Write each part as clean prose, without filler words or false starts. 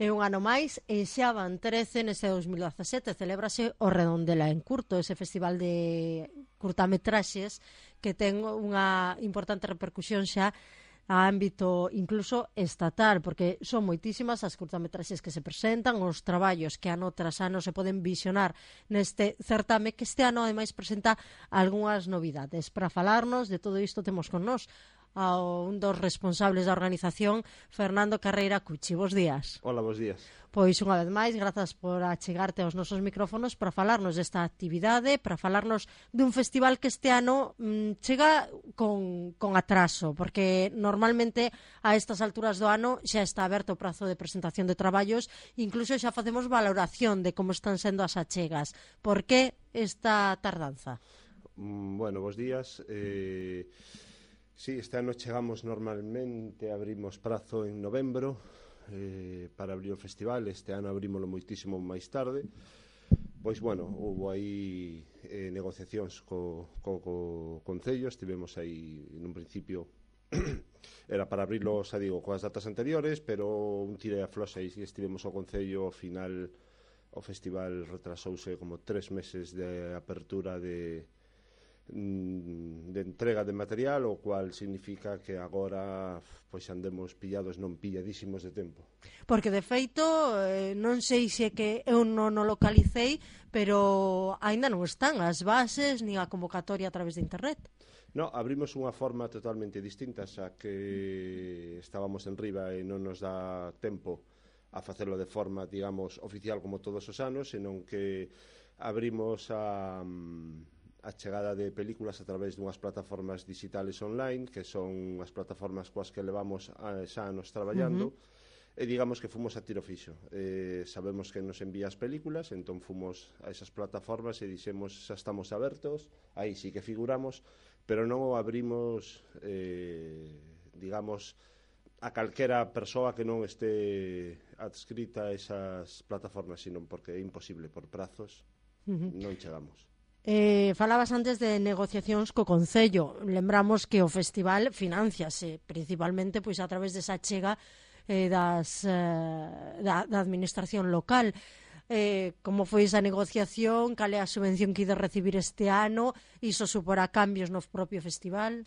E un ano máis, e xa van 13 neste 2017, celébrase o Redondela en Curto, ese festival de curtametraxes que ten unha importante repercusión xa a ámbito incluso estatal, porque son moitísimas as curtametraxes que se presentan, os traballos que ano tras ano se poden visionar neste certame, que este ano ademais presenta algunhas novidades. Para falarnos de todo isto temos con nós a un dos responsables da organización, Fernando Carreira Cuchi. Bos días. Hola, bos días. Pois unha vez máis, grazas por achegarte aos nosos micrófonos para falarnos desta actividade, para falarnos dun festival que este ano chega con atraso, porque normalmente a estas alturas do ano xa está aberto o prazo de presentación de traballos, incluso xa facemos valoración de como están sendo as achegas. Por que esta tardanza? Bueno, bos días. Sí, este ano chegamos normalmente, abrimos prazo en novembro para abrir o festival. Este ano abrímolo moitísimo máis tarde. Pois, bueno, houve aí negociacións co Concello. Estivemos aí, nun principio, era para abrilo, xa digo, coas datas anteriores, pero un tira e afloxa e estivemos ao Concello. Ao final, o festival retrasouse como 3 meses de apertura de entrega de material, o cual significa que agora pois andemos pillados, non pilladísimos de tempo. Porque de feito, non sei se que eu non o localicei, pero aínda non están as bases ni a convocatoria a través de internet. No, abrimos unha forma totalmente distinta, xa que estábamos en riba e non nos dá tempo a facelo de forma, digamos, oficial como todos os anos, senón que abrimos a chegada de películas a través dunhas plataformas digitales online, que son as plataformas coas que levamos xa anos traballando, e digamos que fomos a tiro fixo. Sabemos que nos envía as películas, entón fomos a esas plataformas e dixemos xa estamos abertos, aí sí que figuramos, pero non o abrimos, digamos, a calquera persoa que non este adscrita a esas plataformas, sino porque é imposible por prazos, non chegamos. Falabas antes de negociacións co Concello. Lembramos que o festival financiase principalmente pois a través desa chega da administración local. Como foi esa negociación? Cal é a subvención que ide recibir este ano? Iso suporá cambios no propio festival?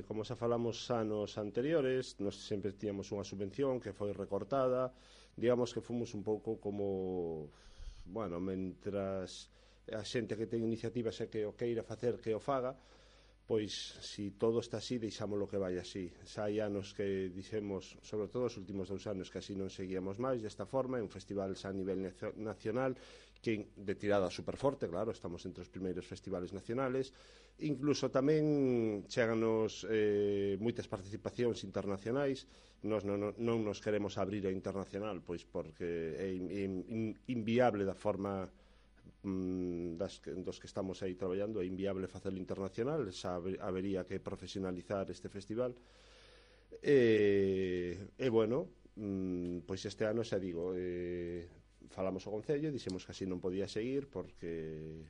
Como xa falamos anos anteriores, nós sempre tíamos unha subvención que foi recortada. Digamos que fomos un pouco como, bueno, mentras a xente que ten iniciativas e que o queira facer que o faga, pois si todo está así, deixámoslo que vai así. Xa hai anos que dixemos, sobre todo os últimos 2 anos, que así non seguíamos máis desta forma. É un festival xa a nivel nacional, que de tirada superforte, claro, estamos entre os primeiros festivales nacionales. Incluso tamén cheganos moitas participacións internacionais. Nós non nos queremos abrir a internacional, pois porque é inviable da forma dos que estamos aí traballando, é inviable facelo internacional, xa habería que profesionalizar este festival. Bueno, pois este ano xa digo, falamos ao Concello, dixemos que así non podía seguir, porque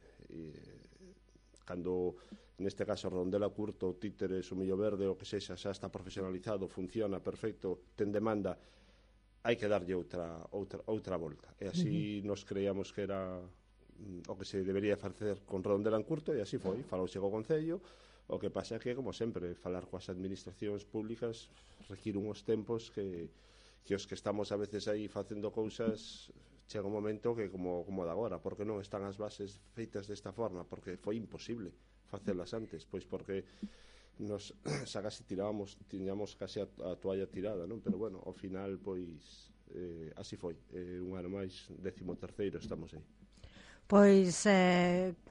cando neste caso Redondela Curto, Títeres, o Millo Verde, o que sexa, xa está profesionalizado, funciona perfecto, ten demanda, hai que darlle outra volta. E así nos creíamos que era o que se debería facer con Redondela en Curto, e así foi. Falouse co Concello. O que pasa é que, como sempre, falar coas administracións públicas require uns tempos que os que estamos a veces aí facendo cousas, chega un momento que como de agora, porque non están as bases feitas desta forma, porque foi imposible facelas antes, pois porque nos xa casi tiñamos casi a toalla tirada, non? Pero bueno, ao final, pois así foi. Un ano máis, 13º estamos aí. Pois,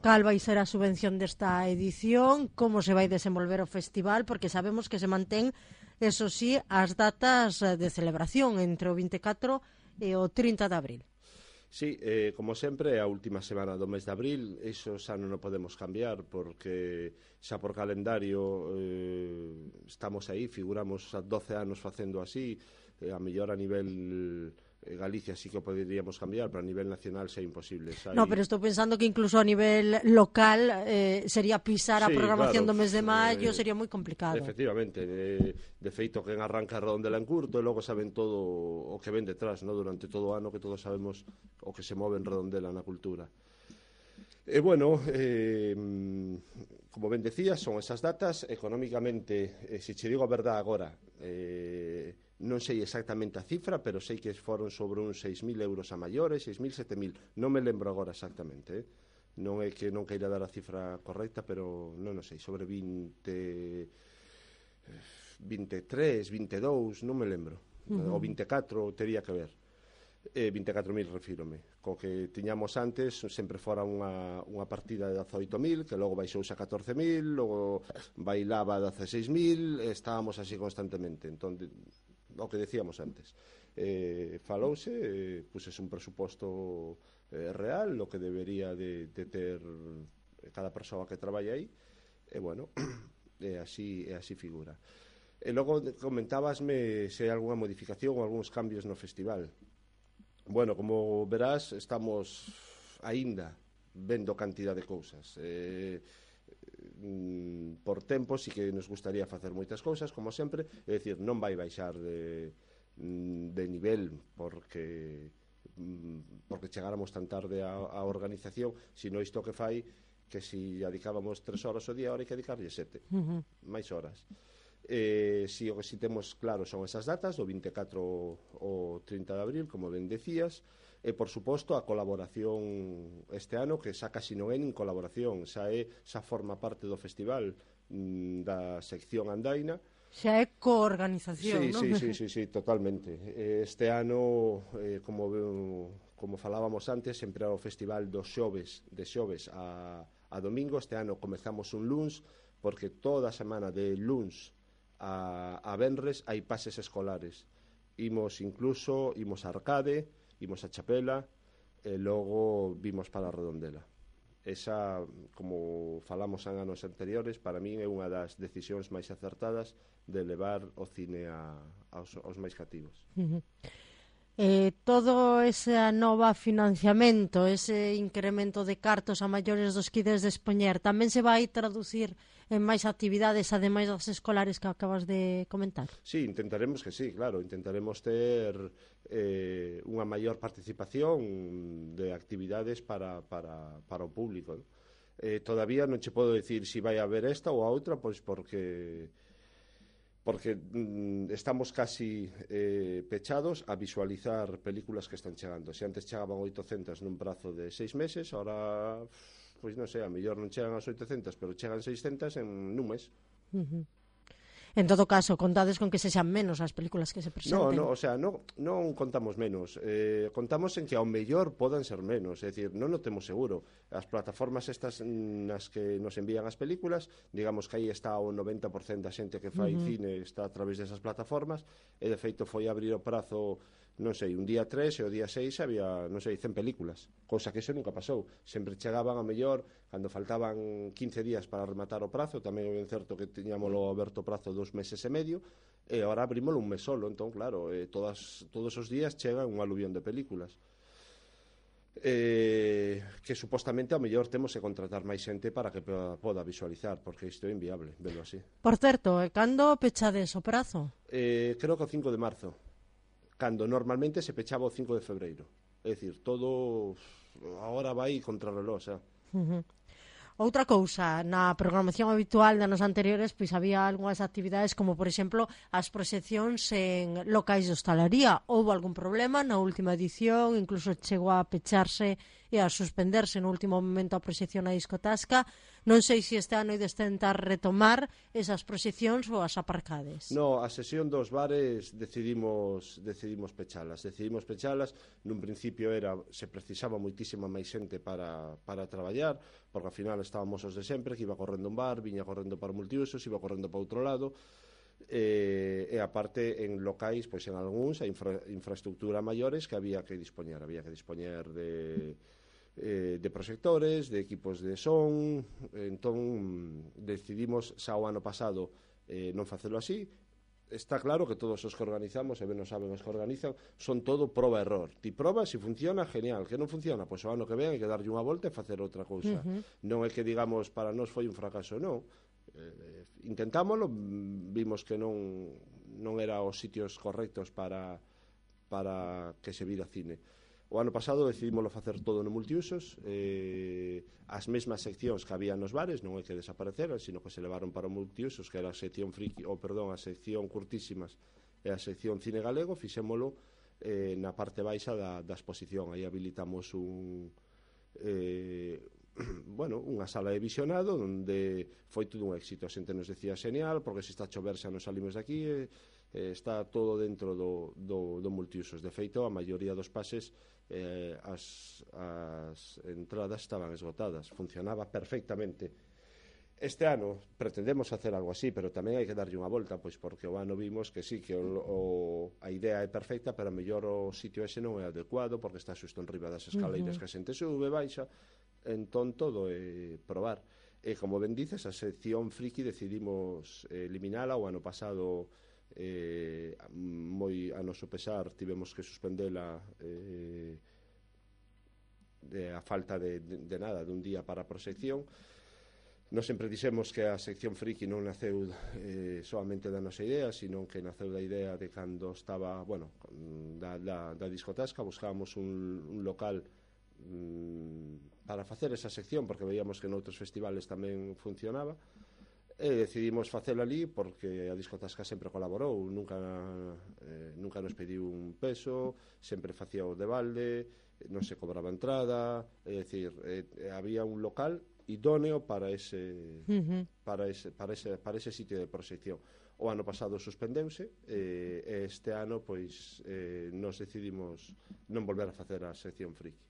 cal vai ser a subvención desta edición? Como se vai desenvolver o festival? Porque sabemos que se mantén, eso sí, as datas de celebración entre o 24 e o 30 de abril. Sí, como sempre, a última semana do mes de abril. Iso xa non o podemos cambiar, porque xa por calendario estamos aí, figuramos a 12 anos facendo así. A mellor a nivel Galicia sí que poderíamos cambiar, pero a nivel nacional é imposible. No, pero estou pensando que incluso a nivel local sería pisar a Sí, programación claro, do mes de maio, sería moi complicado. efectivamente, de feito quen arranca a Redondela en curto e logo saben todo o que ven detrás, no? Durante todo o ano que todos sabemos o que se move en Redondela na cultura. E bueno, como ben decías, son esas datas. Económicamente, se che digo a verdade agora, non sei exactamente a cifra, pero sei que foron sobre uns 6.000 euros a maiores, 6.000, 7.000, non me lembro agora exactamente, non é que non queira dar a cifra correcta, pero non o sei, sobre 20, 23, 22, non me lembro, o 24 tería que ver. 24.000 refírome, co que tiñamos antes sempre fora unha partida de 18.000, que logo baixouse a 14.000, logo bailaba a 16.000, estábamos así constantemente. Entón, o que decíamos antes, falouse, pusese un presuposto real, lo que debería de ter cada persoa que traballa aí, e bueno, é así figura. E logo comentábasme se hai algunha modificación ou algúns cambios no festival. Bueno, como verás, estamos aínda vendo cantidad de cousas. Por tempo, sí que nos gustaría facer moitas cousas, como sempre, é dicir, non vai baixar de nivel porque chegáramos tan tarde á organización, sino isto que fai que si dedicábamos 3 horas ao día, ahora hai que dedicarlle 7, máis horas. Si o que si temos claro son esas datas, do 24 ao 30 de abril, como ben decías, e por suposto a colaboración este ano, que xa casi non é nin colaboración, xa forma parte do festival, da sección andaina. Xa é coorganización, non? Sí, totalmente. Este ano, como falábamos antes, sempre era o festival dos xoves, de xoves a domingo. Este ano comezamos un luns, porque toda a semana de luns a venres hai pases escolares. Imos a Arcade, imos a Chapela e logo vimos para a Redondela. Esa, como falamos en anos anteriores, para min é unha das decisións máis acertadas de levar o cine aos máis cativos. Todo ese nova financiamento, ese incremento de cartos a maiores dos que ides dispoñer, tamén se vai traducir en máis actividades ademais das escolares que acabas de comentar? Sí, intentaremos que sí, claro, intentaremos ter unha maior participación de actividades para o público, ¿no? Todavía non che podo dicir se vai haber esta ou a outra, pois porque estamos casi pechados a visualizar películas que están chegando. Se antes chegaban 800 nun prazo de 6 meses, ahora, pois non sei, a mellor non chegan as 800, pero chegan 600 nun mes. En todo caso, contades con que sexan menos as películas que se presenten. Non contamos menos. Contamos en que ao mellor podan ser menos. É dicir, non o temos seguro. As plataformas estas nas que nos envían as películas, digamos que aí está o 90% da xente que fai cine está a través desas plataformas, e de feito foi abrir o prazo, non sei, un día 3 e o día 6 había, non sei, 100 películas, cousa que iso nunca pasou. Sempre chegaban a mellor cando faltaban 15 días para rematar o prazo. Tamén é ben certo que tiñámoslo aberto o prazo 2 meses e medio, e agora abrímoslo un mes solo. Entón, claro, todos os días chega un aluvión de películas, que supostamente ao mellor temos que contratar máis xente para que poda visualizar, porque isto é inviable, velo así. Por certo, cando pechades o prazo? Creo que o 5 de marzo, cando normalmente se pechaba o 5 de febreiro. É dicir, todo agora vai contra reloj, xa. Outra cousa, na programación habitual de anos anteriores, pois había algunhas actividades como, por exemplo, as proxeccións en locais de hostalería. Houbo algún problema na última edición, incluso chegou a pecharse e a suspenderse no último momento a proxección na discotasca. Non sei se este ano ides tentar retomar esas proxeccións ou as aparcades. No, a sesión dos bares decidimos pechalas. Nun principio se precisaba moitísima máis xente para traballar, porque ao final estábamos os de sempre, que iba correndo un bar, viña correndo para multiusos, iba correndo para outro lado, e aparte en locais, pois en algúns, a infraestructura maiores que había que dispoñer de proxectores, de equipos de son. Entón decidimos xa o ano pasado non facelo así, está claro que todos os que organizamos, e ben non saben os que organizan, son todo proba-error. Ti probas, se funciona, genial. Que non funciona, pois o ano que ven hai que darlle unha volta e facer outra cousa. Non é que digamos, para nós foi un fracaso, non. Intentámoslo, vimos que non era os sitios correctos para que se vira cine. O ano pasado decidímoslo facer todo no multiusos, as mesmas seccións que había nos bares non é que desapareceran, sino que se levaron para o multiusos, que era a sección friki, a sección curtísimas e a sección cine galego. Fixémolo na parte baixa da exposición. Aí habilitamos unha sala de visionado onde foi todo un éxito. A xente nos decía xenial, porque se está a chover xa nos salimos de aquí, está todo dentro do multiusos. De feito, a maioría dos pases, as entradas estaban esgotadas, funcionaba perfectamente. Este ano pretendemos facer algo así, pero tamén hai que darlle unha volta, pois porque o ano vimos que sí, que a idea é perfecta, pero a mellor o sitio ese non é adecuado, porque está xusto en riba das escaleiras que a xente sube, baixa. Entón todo é probar. E como ben dices, a sección friki decidimos eliminala. O ano pasado, moi a noso pesar, tivemos que suspendela a falta de nada, dun día para a proxección. Nos sempre dixemos que a sección friki non naceu solamente da nosa idea, sino que naceu da idea de cando estaba, da discotasca. Buscábamos un local para facer esa sección, porque veíamos que noutros festivales tamén funcionaba, e decidimos facelo ali porque a discotasca sempre colaborou, nunca nos pediu un peso, sempre facía o de balde, non se cobraba entrada, é dicir, había un local idóneo para ese sitio de proxección. O ano pasado suspendeuse, e este ano pois nos decidimos non volver a facer a sección friki.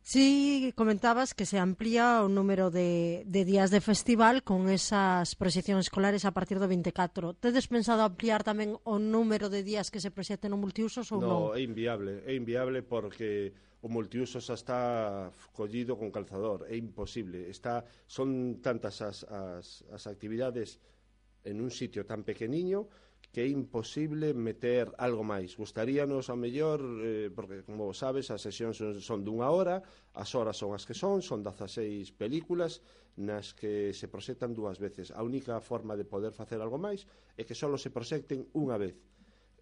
Sí, comentabas que se amplía o número de días de festival con esas proxeccións escolares a partir do 24. Tedes pensado ampliar tamén o número de días que se proxecten no multiusos ou non? Non, é inviable porque o multiusos está collido con calzador, é imposible. Son tantas as actividades en un sitio tan pequeniño que é imposible meter algo máis. Gustaríanos, ao mellor, porque, como sabes, as sesións son dunha hora, as horas son as que son 16 películas nas que se proxectan 2 veces. A única forma de poder facer algo máis é que só se proxecten unha vez.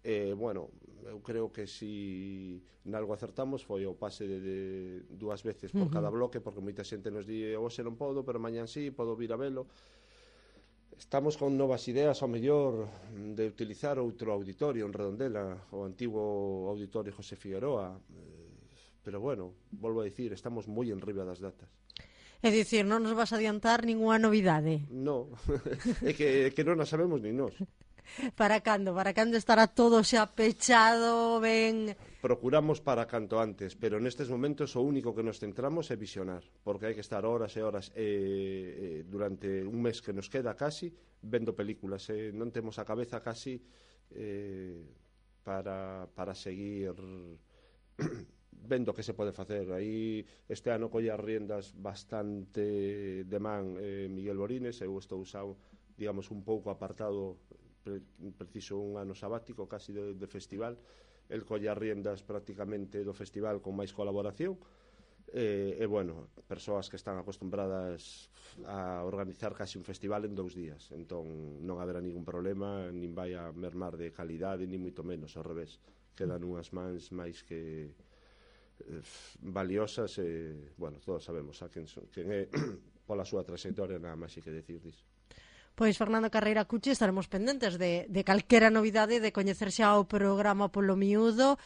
Eu creo que si nalgo acertamos foi o pase de 2 veces por cada bloque, porque moita xente nos di hoxe non podo, pero mañán sí, podo vir a velo. Estamos con novas ideas, ao mellor, de utilizar outro auditorio en Redondela, o antigo auditorio José Figueroa, pero volvo a dicir, estamos moi enriba das datas. É dicir, non nos vas adiantar ninguna novidade? Non, é que non a sabemos nin nós. Para cando? Para cando estará todo xa pechado, ben... Procuramos para canto antes, pero nestes momentos o único que nos centramos é visionar, porque hai que estar horas e horas durante un mes que nos queda casi vendo películas, non temos a cabeza casi para seguir vendo que se pode facer. Aí este ano colle as riendas bastante de man Miguel Borines. Eu estou digamos, un pouco apartado, preciso un ano sabático casi de festival. El colle as riendas prácticamente do festival con máis colaboración, persoas que están acostumbradas a organizar casi un festival en 2 días, entón non haberá ningún problema, nin vai a mermar de calidade, nin moito menos, ao revés, quedan unhas mans máis que valiosas, todos sabemos a quen é pola súa trayectoria, nada máis hai que decir disso. Pois, Fernando Carreira Cuchi, estaremos pendentes de calquera novidade, de coñecer xa o programa polo miúdo.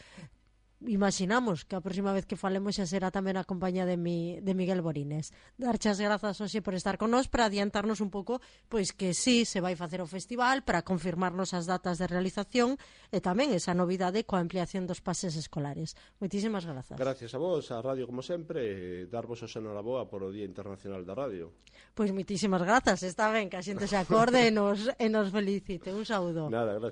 Imaginamos que a próxima vez que falemos xa será tamén a compañía de Miguel Borines. Darche as grazas hoxe por estar con nós, para adiantarnos un pouco pois que sí se vai facer o festival, para confirmarnos as datas de realización e tamén esa novidade coa ampliación dos pases escolares. Moitísimas grazas. Gracias a vos, a radio como sempre, darvos o enhoraboa por o Día Internacional da Radio. Pois moitísimas grazas, está ben que a xente se acorde e nos felicite. Un saúdo. Nada, gracias.